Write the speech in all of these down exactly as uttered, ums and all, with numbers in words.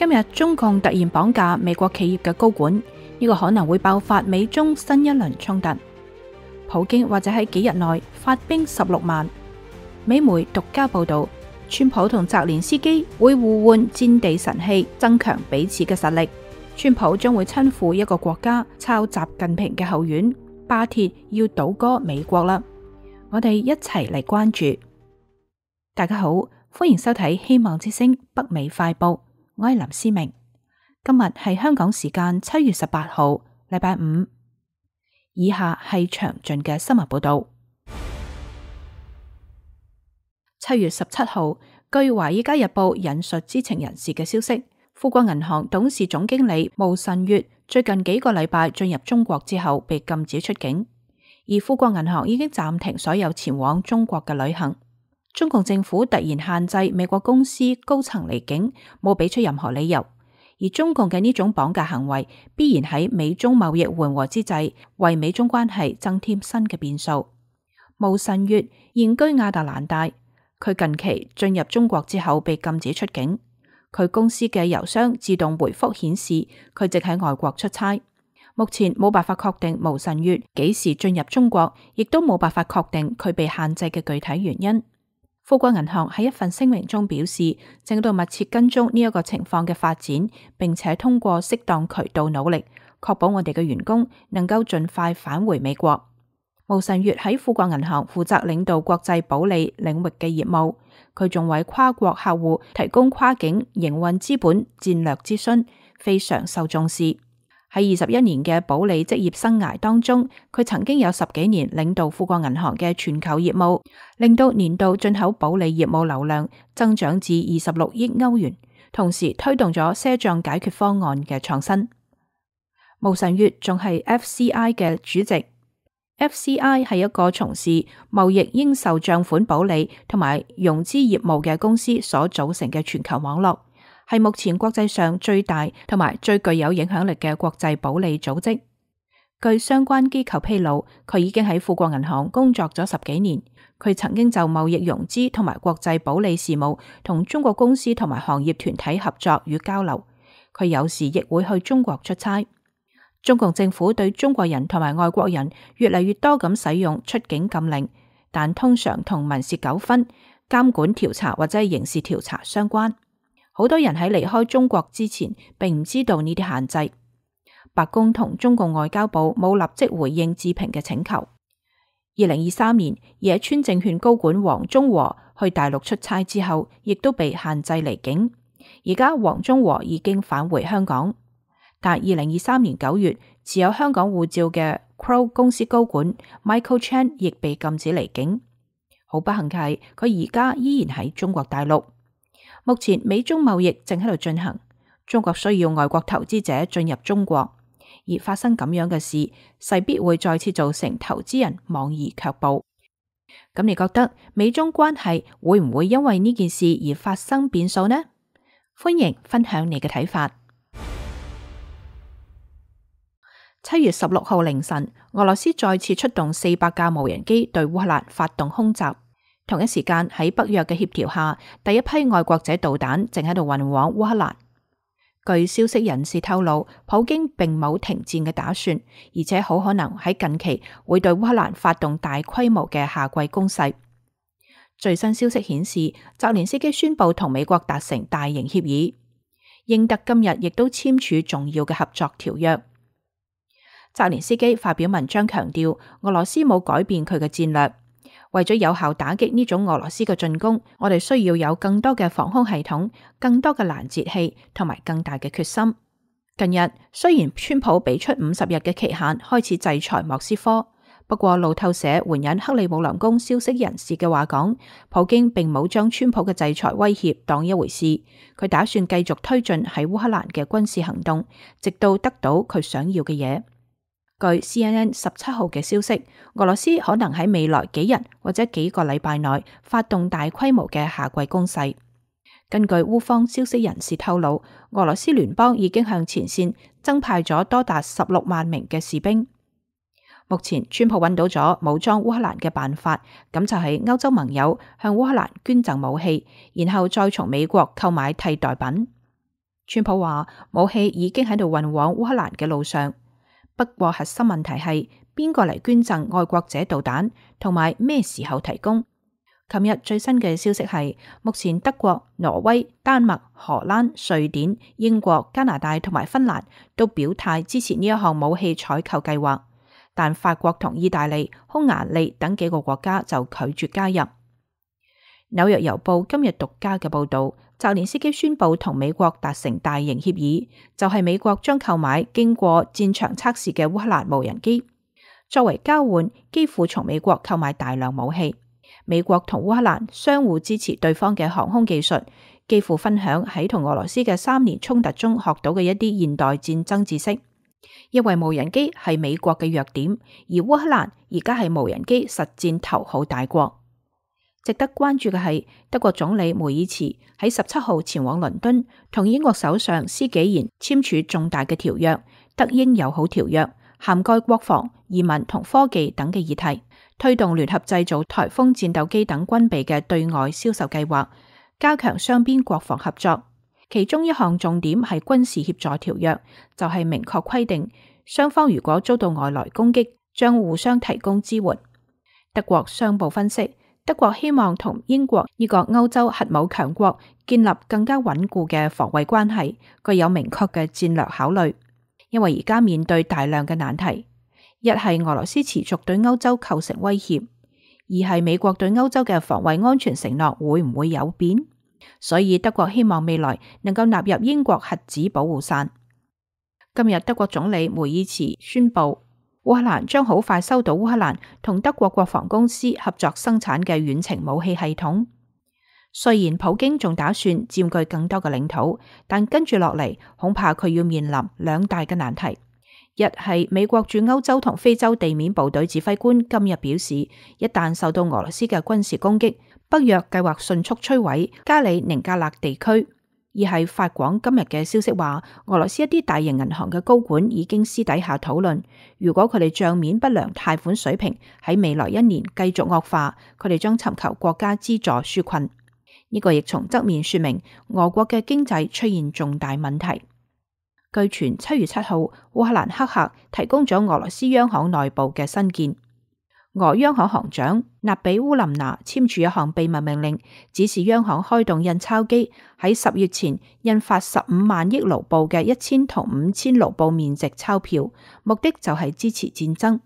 今日中共突然綁架美國企業嘅高管，呢個可能會爆發美中新一輪衝突。普京或者喺幾日內發兵十六萬。美媒獨家報道，川普同澤連斯基會互換戰地神器，增強彼此嘅實力。川普將會親赴一個國家，抄習近平嘅後院，巴鐵要倒戈美國啦。我哋一齊嚟關注。大家好，歡迎收睇希望之聲北美快報，我係林思明。今日係香港時間七月十八號，禮拜五。以下係詳盡嘅新聞報道。七月十七號，據《華爾街日報》引述知情人士嘅消息，富國銀行董事總經理毛臣月最近幾個禮拜進入中國之後被禁止出境，而富國銀行已經暫停所有前往中國嘅旅行。中共政府突然限制美國公司高層離境，冇俾出任何理由。而中共嘅呢種綁架行為，必然喺美中貿易緩和之際，為美中關係增添新嘅變數。毛臣月現居亞特蘭大，佢近期進入中國之後被禁止出境。佢公司嘅郵箱自動回覆顯示佢正喺外國出差。目前冇辦法確定毛臣月幾時進入中國，亦都冇辦法確定佢被限制嘅具體原因。富國銀行喺一份聲明中表示，正喺度密切跟蹤呢一個情況嘅發展，並且通過適當渠道努力，確保我哋嘅員工能夠盡快返回美國。毛臣月喺富國銀行負責領導國際保理領域嘅業務，佢仲為跨國客戶提供跨境營運資本戰略諮詢，非常受重視。喺二十一年嘅保理職業生涯當中，佢曾經有十幾年領導富國銀行嘅全球業務，令到年度進口保理業務流量增長至二十六億歐元，同時推動咗賒賬解決方案嘅創新。毛臣月仲係 F C I 嘅主席。F C I 係一個從事貿易應售賬款保理同埋融資業務嘅公司所組成嘅全球網絡，係目前國際上最大同埋最具有影響力嘅國際保理組織。據相關機構披露，佢已經喺富國銀行工作咗十幾年。佢曾經就貿易融資同埋國際保理事務同中國公司同埋行業團體合作與交流。佢有時亦會去中國出差。中共政府對中國人同埋外國人越嚟越多咁使用出境禁令，但通常同民事糾紛、監管調查或者係刑事調查相關。好多人喺離開中國之前，並唔知道呢啲限制。白宮同中共外交部冇立即回應置評嘅請求。二零二三年，野村證券高管黃中和去大陸出差之後，亦都被限制離境。而家黃中和已經返回香港。但二零二三年九月，持有香港護照嘅 Crow 公司高管 Michael Chan 亦被禁止離境。好不幸嘅係，佢而家依然喺中國大陸。目前美中貿易正喺度進行，中國需要外國投資者進入中國，而發生咁樣嘅事，勢必會再次造成投資人望而卻步。咁你覺得美中關係會唔會因為呢件事而發生變數呢？歡迎分享你嘅睇法。七月十六號凌晨，俄羅斯再次出動四百架無人機對烏克蘭發動空襲。同一時間喺北約嘅協調下，第一批愛國者導彈正喺度運往烏克蘭。據消息人士透露，普京並冇停戰嘅打算，而且好可能喺近期會對烏克蘭發動大規模嘅夏季攻勢。最新消息顯示，澤連斯基宣布同美國達成大型協議，英德今日亦都簽署重要嘅合作條約。澤連斯基發表文章強調，俄羅斯冇改變佢嘅戰略。為咗有效打擊呢種俄羅斯嘅進攻，我哋需要有更多嘅防空系統、更多嘅攔截器同埋更大嘅決心。近日雖然川普俾出五十日嘅期限開始制裁莫斯科，不過路透社援引克里姆林宮消息人士嘅話講，普京並冇將川普嘅制裁威脅當一回事，佢打算繼續推進喺烏克蘭嘅軍事行動，直到得到佢想要嘅嘢。據 C N N 十七號嘅消息，俄羅斯可能喺未來幾日或者幾個禮拜內發動大規模嘅夏季攻勢。根據烏方消息人士透露，俄羅斯聯邦已經向前線增派咗多達十六萬名嘅士兵。目前，川普揾到咗武裝烏克蘭嘅辦法，咁就係歐洲盟友向烏克蘭捐贈武器，然後再從美國購買替代品。川普話武器已經喺度運往烏克蘭嘅路上，不過核心問題係邊個嚟捐贈愛國者導彈，同埋咩時候提供。琴日最新嘅消息係，目前德國、挪威、丹麥、荷蘭、瑞典、英國、加拿大同埋芬蘭都表態支持呢一項武器採購計劃，但法國同意大利、匈牙利等幾個國家就拒絕加入。紐約郵報今日獨家嘅報道，澤連斯基宣布同美國達成大型協議，就係美國將購買經過戰場測試嘅烏克蘭無人機，作為交換，幾乎從美國購買大量武器。美國同烏克蘭相互支持對方嘅航空技術，幾乎分享喺同俄羅斯嘅三年衝突中學到嘅一啲現代戰爭知識。因為無人機係美國嘅弱點，而烏克蘭而家係無人機實戰頭號大國。值得關注嘅係，德國總理梅爾茨喺十七號前往倫敦，同英國首相施紀賢簽署重大嘅條約，德英友好條約，涵蓋國防、移民同科技等嘅議題，推動聯合製造颱風戰鬥機等軍備嘅對外銷售計劃，加強雙邊國防合作。其中一項重點係軍事協助條約，就係明確規定雙方如果遭到外來攻擊，將互相提供支援。德國商報分析，德國希望同英國呢個歐洲核武強國建立更加穩固嘅防衛關係，具有明確嘅戰略考慮。因為而家面對大量嘅難題，一係俄羅斯持續對歐洲構成威脅，二係美國對歐洲嘅防衛安全承諾會唔會有變？所以德國希望未來能夠納入英國核子保護傘。今日德國總理梅爾茨宣布，烏克蘭將好快收到烏克蘭同德國國防公司合作生產嘅遠程武器系統。雖然普京仲打算佔據更多嘅領土，但跟住落嚟恐怕佢要面臨兩大嘅難題。一係美國駐歐洲同非洲地面部隊指揮官今日表示，一旦受到俄羅斯嘅軍事攻擊，北約計劃迅速摧毀加里寧格勒地區。二係法廣今日嘅消息話，俄羅斯一啲大型銀行嘅高管已經私底下討論，如果佢哋賬面不良貸款水平喺未來一年繼續惡化，佢哋將尋求國家資助紓困。呢個亦從側面說明俄國嘅經濟出現重大問題。據傳七月七號，烏克蘭黑客提供咗俄羅斯央行內部嘅新建。俄央行行長納比烏林娜簽署一項秘密命令，指示央行開動印鈔機，喺十月前印發十五萬億盧布嘅一千同五千盧布面值鈔票，目的就係支持戰爭。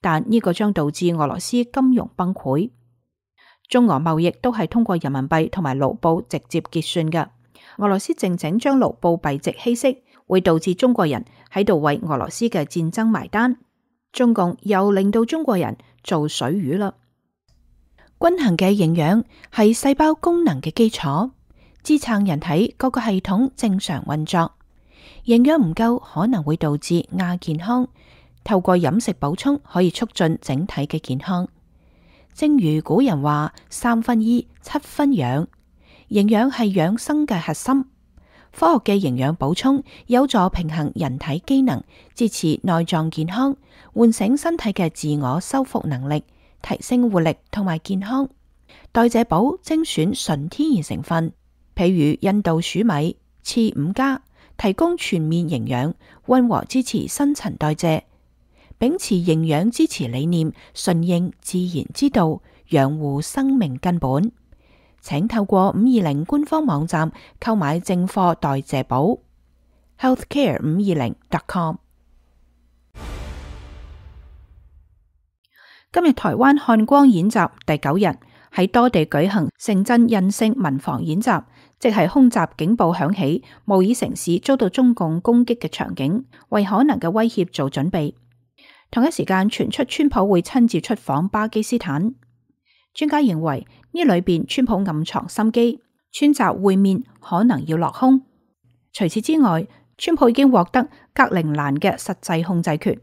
但呢個將導致俄羅斯金融崩潰。中俄貿易都係通過人民幣同埋盧布直接結算嘅。俄羅斯靜靜將盧布幣值稀釋，會導致中國人喺度為俄羅斯嘅戰爭埋單。中共又令到中國人做水魚啦。均衡嘅營養係細胞功能嘅基礎，支撐人體各個系統正常運作。營養唔夠可能會導致亞健康，透過飲食補充可以促進整體嘅健康。正如古人話：三分醫，七分養。營養係養生嘅核心。科學嘅營養補充有助平衡人體機能，支持內臟健康，喚醒身體嘅自我修復能力，提升活力同埋健康。代謝寶精選純天然成分，譬如印度黍米、次五加，提供全面營養，溫和支持新陳代謝。秉持營養支持理念，順應自然之道，養護生命根本。請透過五二零官方網站購買正貨代謝寶 healthcare 五二零 dot com。今日台灣漢光演習第九日，喺多地舉行城鎮韌性民防演習，即係空襲警報響起，模擬城市遭到中共攻擊嘅場景，為可能嘅威脅做準備。同一時間傳出川普會親自出訪巴基斯坦。專家認為呢裏邊川普暗藏心機，川習會面可能要落空。除此之外，川普已經獲得格陵蘭嘅實際控制權。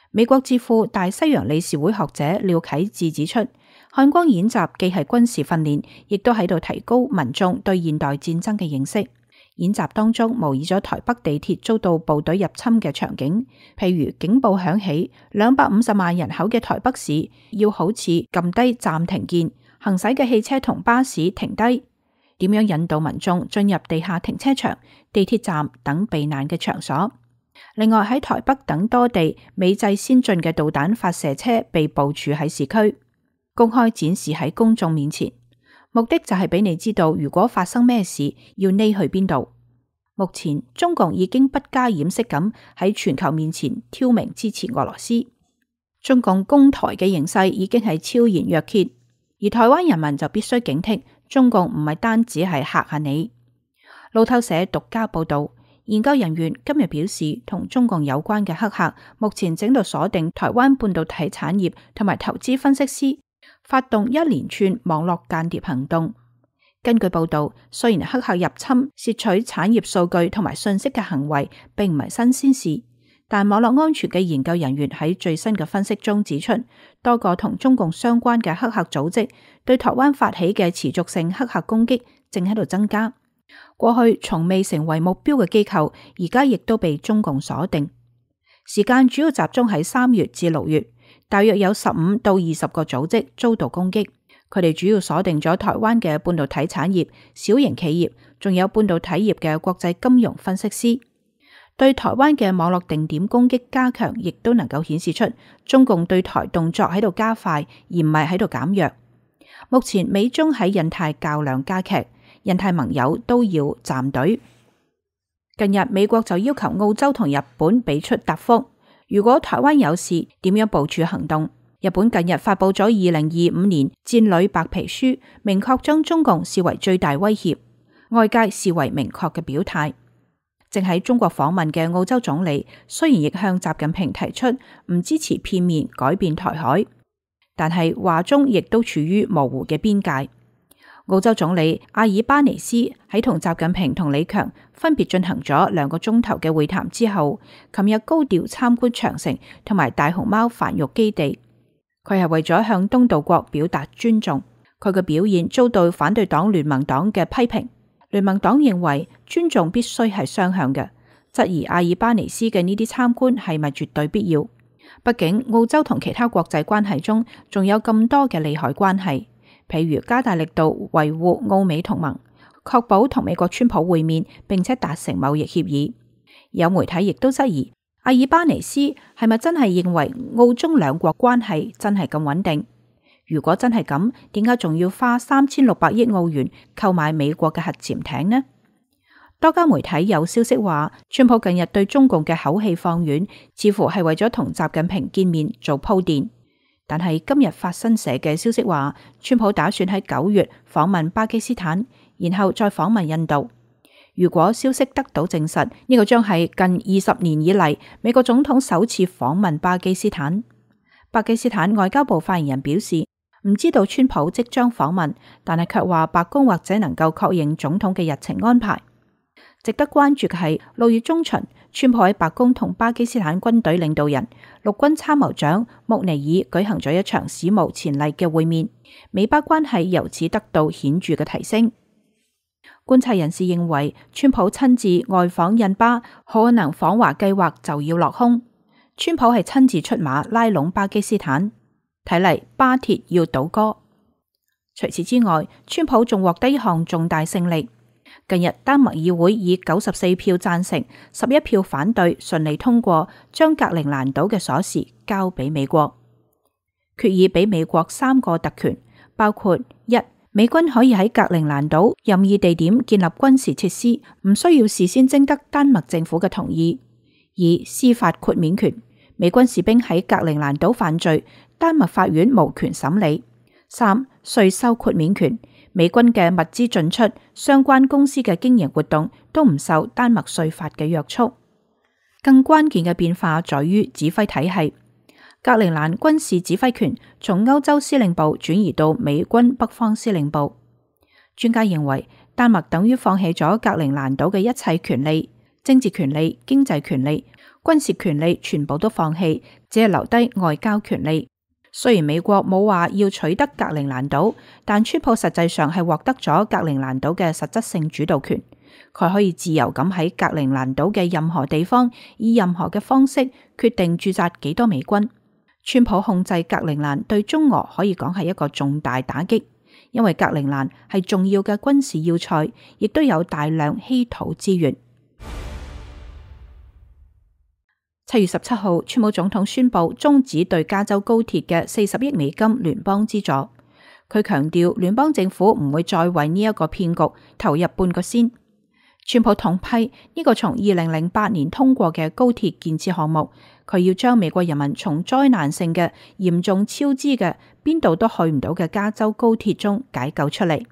美國智庫大西洋理事會學者廖啟智指出，漢光演習既係軍事訓練，亦都喺度提高民眾對現代戰爭嘅認識。演習當中模擬咗台北地鐵遭到部隊入侵嘅場景，譬如警報響起，兩百五十萬人口嘅台北市要好似撳低暫停鍵，行駛嘅汽車同巴士停低，點樣引導民眾進入地下停車場、地鐵站等避難嘅場所。另外喺台北等多地美製先進嘅導彈發射車被部署喺市區，公開展示喺公眾面前，目的就係俾你知道如果發生咩事要匿去邊度。目前中共已經不加掩飾咁喺全球面前挑明支持俄羅斯，中共攻台嘅形勢已經係昭然若揭，而台灣人民就必須警惕，中共唔係單止係嚇下你。路透社獨家報道，研究人員今日表示，同中共有關嘅黑客目前正度鎖定台灣半導體產業同埋投資分析師，發動一連串網絡間諜行動。根據報道，雖然黑客入侵竊取產業數據同埋信息嘅行為並唔係新鮮事，但網絡安全嘅研究人員喺最新嘅分析中指出，多個同中共相關嘅黑客組織對台灣發起嘅持續性黑客攻擊正喺度增加。過去從未成為目標嘅機構，而家亦都被中共鎖定。時間主要集中喺三月至六月，大約有十五到二十個組織遭到攻擊。佢哋主要鎖定咗台灣嘅半導體產業、小型企業，仲有半導體業嘅國際金融分析師。對台灣嘅網絡定點攻擊加強，亦都能夠顯示出中共對台動作喺度加快，而唔係喺度減弱。目前美中喺印太較量加劇，印太盟友都要站隊。近日美國就要求澳洲同日本俾出答覆，如果台灣有事，點樣部署行動？日本近日發佈咗二零二五年戰略白皮書，明確將中共視為最大威脅，外界視為明確嘅表態。正喺中國訪問嘅澳洲總理雖然亦向習近平提出唔支持片面改變台海，但係話中亦都處於模糊嘅邊界。澳洲總理阿爾巴尼斯喺同習近平同李強分別進行咗兩個鐘頭嘅會談之後，琴日高調參觀長城同埋大熊貓繁育基地。佢係為咗向東道國表達尊重，佢嘅表現遭到反對黨聯盟黨嘅批評。聯盟黨認為尊重必須係雙向嘅，質疑阿爾巴尼斯嘅呢啲參觀係咪絕對必要？畢竟澳洲同其他國際關係中仲有咁多嘅利害關係，譬如加大力度維護澳美同盟，確保同美國川普會面並且達成貿易協議。有媒體亦都質疑阿爾巴尼斯係咪真係認為澳中兩國關係真係咁穩定？如果真係咁，點解仲要花三千六百億澳元購買美國嘅核潛艇呢？多家媒體有消息話，川普近日對中共嘅口氣放軟，似乎係為咗同習近平見面做鋪墊。但係今日法新社嘅消息話，川普打算喺九月訪問巴基斯坦，然後再訪問印度。如果消息得到證實，呢個將係近二十年以嚟美國總統首次訪問巴基斯坦。巴基斯坦外交部發言人表示，唔知道川普即將訪問，但係卻話白宮或者能夠確認總統嘅日程安排。值得關注嘅係六月中旬，川普喺白宮同巴基斯坦軍隊領導人、陸軍參謀長穆尼爾舉行咗一場史無前例嘅會面，美巴關係由此得到顯著嘅提升。觀察人士認為，川普親自外訪印巴，可能訪華計劃就要落空。川普係親自出馬拉攏巴基斯坦，睇嚟巴鐵要倒戈。除此之外，川普仲獲得一項重大勝利。近日丹麥議會以九十四票贊成、十一票反對，順利通過將格陵蘭島嘅鎖匙交俾美國。決議俾美國三個特權，包括一、美軍可以喺格陵蘭島任意地點建立軍事設施，唔需要事先徵得丹麥政府嘅同意；二、司法豁免權，美軍士兵喺格陵蘭島犯罪，丹麥法院無權審理；三、稅收豁免權，美軍嘅物資進出、相關公司嘅經營活動都唔受丹麥稅法嘅約束。更關鍵嘅變化在於指揮體系。格陵蘭軍事指揮權從歐洲司令部轉移到美軍北方司令部。專家認為，丹麥等於放棄咗格陵蘭島嘅一切權利，政治權利、經濟權利、軍事權利全部都放棄，只係留低外交權利。雖然美國冇話要取得格陵蘭島，但川普實際上係獲得咗格陵蘭島嘅實質性主導權。佢可以自由咁喺格陵蘭島嘅任何地方，以任何嘅方式決定駐紮幾多美軍。川普控制格陵蘭對中俄可以講係一個重大打擊，因為格陵蘭係重要嘅軍事要塞，亦都有大量稀土資源。七月十七號，川普總統宣布終止對加州高鐵嘅四十億美金聯邦資助。佢強調聯邦政府唔會再為呢一個騙局投入半個仙。川普痛批呢個從二零零八年通過嘅高鐵建設項目，佢要將美國人民從災難性嘅嚴重超支嘅邊度都去唔到嘅加州高鐵中解救出嚟。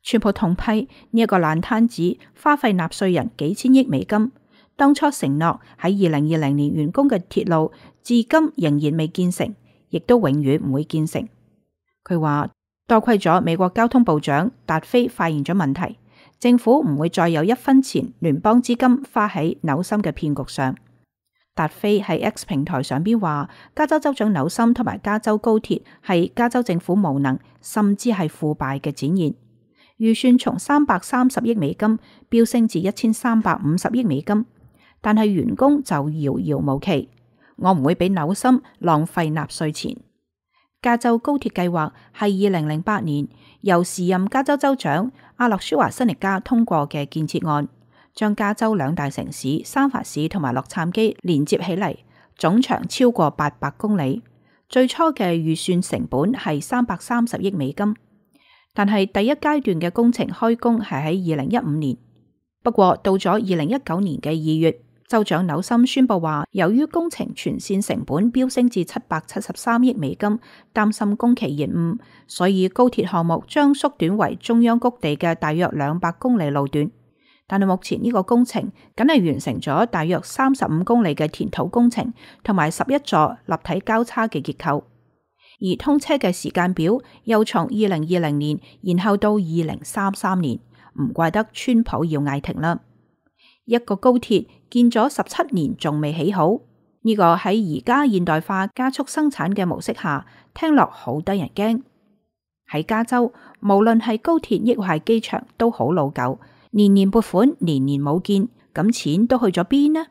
川普痛批呢一個爛攤子花費納稅人幾千億美金。當初承諾喺二零二零年完工嘅鐵路，至今仍然未建成，亦都永遠唔會建成。佢話多虧咗美國交通部長達菲發現咗問題，政府唔會再有一分錢聯邦資金花喺紐森嘅騙局上。達菲喺 X 平台上邊話，加州州長紐森同埋加州高鐵係加州政府無能，甚至係腐敗嘅展現。預算從三百三十億美金飆升至一千三百五十億美金。但係完工就遙遙無期，我唔會俾紐森浪費納稅錢。加州高鐵計劃係二零零八年由時任加州州長阿諾舒華辛力加通過嘅建設案，將加州兩大城市三藩市同埋洛杉磯連接起嚟，總長超過八百公里。最初嘅預算成本係三百三十億美金，但係第一階段嘅工程開工係喺二零一五年。不過到咗二零一九年嘅二月，州長紐森宣布話，由於工程全線成本飆升至七百七十三億美金，擔心工期延誤，所以高鐵項目將縮短為中央谷地嘅大約兩百公里路段。但係目前呢個工程僅係完成咗大約三十五公里嘅填土工程，同埋十一座立體交叉嘅結構。而通車嘅時間表又從二零二零年延後到二零三三年，唔怪得川普要嗌停啦。一個高鐵建咗十七年仲未起好，呢、這個喺而家現代化加速生產嘅模式下，聽落好得人驚。喺加州，無論係高鐵抑或係機場都好老舊，年年撥款，年年冇見，咁錢都去咗邊呢？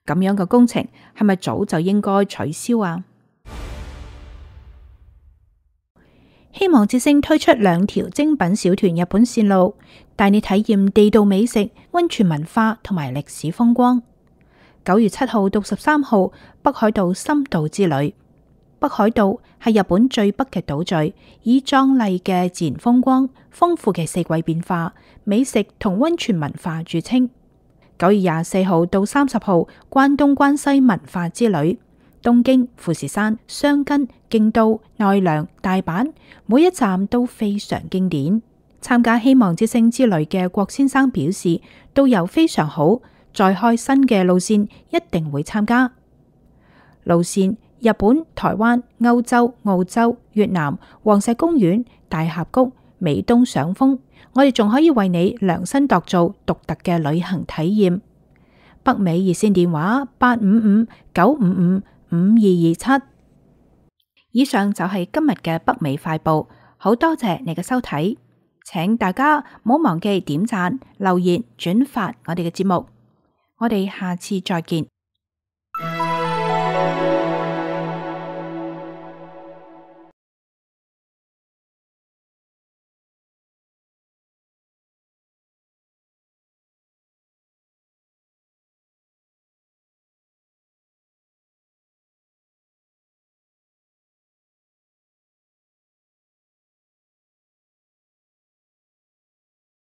咁樣嘅工程係咪早就應該取消啊？希望之星推出兩條精品小團日本線路，帶你體驗地道美食、溫泉文化同埋歷史風光。九月七號到十三號，北海道深度之旅。北海道係日本最北嘅島嶼，以壯麗嘅自然風光、豐富嘅四季變化、美食同溫泉文化著稱。九月廿四號到三十號，關東關西文化之旅。東京、富士山、箱根、京都、奈良、大阪，每一站都非常經典。參加希望之星之旅嘅郭先生表示，導遊非常好，再開新嘅路線一定會參加。路線：日本、台灣、歐洲、澳洲、越南、黃石公園、大峽谷、美東賞楓。我哋仲可以為你量身度做獨特嘅旅行體驗。北美熱線電話八五五九五五五二二七。以上就係今日嘅北美快報，好多謝你嘅收睇，請大家唔好忘記點讚、留言、轉發我哋嘅節目，我哋下次再見。